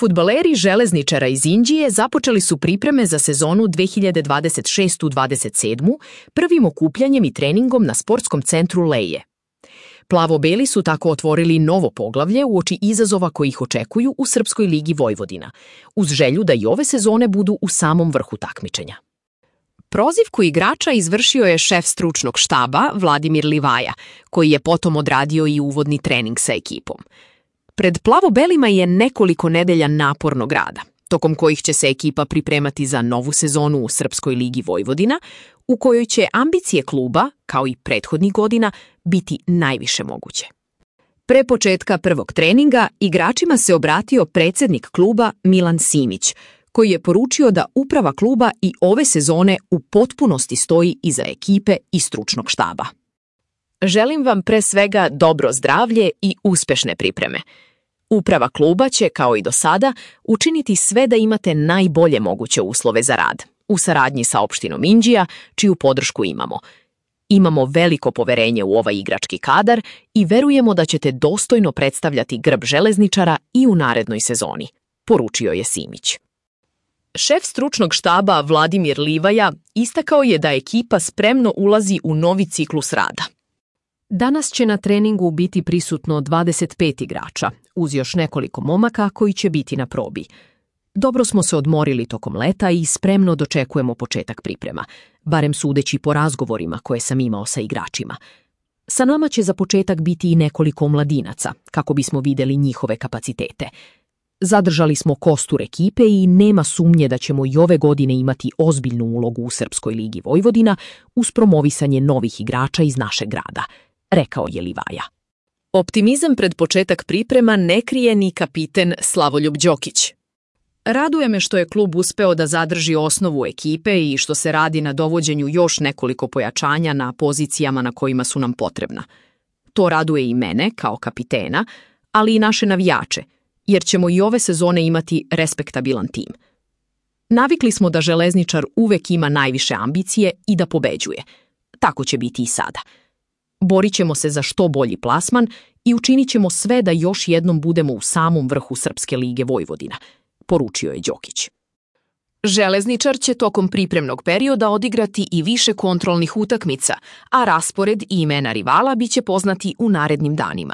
Fudbaleri Železničara iz Inđije započeli su pripreme za sezonu 2026-27 prvim okupljanjem i treningom na sportskom centru Leje. Plavo-beli su tako otvorili novo poglavlje uoči izazova koji ih očekuju u Srpskoj ligi Vojvodina, uz želju da i ove sezone budu u samom vrhu takmičenja. Prozivku igrača izvršio je šef stručnog štaba Vladimir Livaja, koji je potom odradio i uvodni trening sa ekipom. Pred Plavo-belima je nekoliko nedelja napornog rada, tokom kojih će se ekipa pripremati za novu sezonu u Srpskoj ligi Vojvodina, u kojoj će ambicije kluba, kao i prethodnih godina, biti najviše moguće. Pre početka prvog treninga igračima se obratio predsjednik kluba Milan Simić, koji je poručio da uprava kluba i ove sezone u potpunosti stoji iza ekipe i stručnog štaba. Želim vam pre svega dobro zdravlje i uspešne pripreme. Uprava kluba će, kao i do sada, učiniti sve da imate najbolje moguće uslove za rad, u saradnji sa opštinom Inđija, čiju podršku imamo. Imamo veliko poverenje u ovaj igrački kadar i verujemo da ćete dostojno predstavljati grb Železničara i u narednoj sezoni, poručio je Simić. Šef stručnog štaba Vladimir Livaja istakao je da ekipa spremno ulazi u novi ciklus rada. Danas će na treningu biti prisutno 25 igrača, uz još nekoliko momaka koji će biti na probi. Dobro smo se odmorili tokom leta i spremno dočekujemo početak priprema, barem sudeći po razgovorima koje sam imao sa igračima. Sa nama će za početak biti i nekoliko mladinaca, kako bismo videli njihove kapacitete. Zadržali smo kostur ekipe i nema sumnje da ćemo i ove godine imati ozbiljnu ulogu u Srpskoj ligi Vojvodina uz promovisanje novih igrača iz našeg grada, rekao je Livaja. Optimizam pred početak priprema ne krije ni kapiten Slavoljub Đokić. Raduje me što je klub uspeo da zadrži osnovu ekipe i što se radi na dovođenju još nekoliko pojačanja na pozicijama na kojima su nam potrebna. To raduje i mene kao kapitena, ali i naše navijače, jer ćemo i ove sezone imati respektabilan tim. Navikli smo da Železničar uvek ima najviše ambicije i da pobeđuje. Tako će biti i sada. Borit ćemo se za što bolji plasman i učinit ćemo sve da još jednom budemo u samom vrhu Srpske lige Vojvodina, poručio je Đokić. Železničar će tokom pripremnog perioda odigrati i više kontrolnih utakmica, a raspored i imena rivala biće poznati u narednim danima.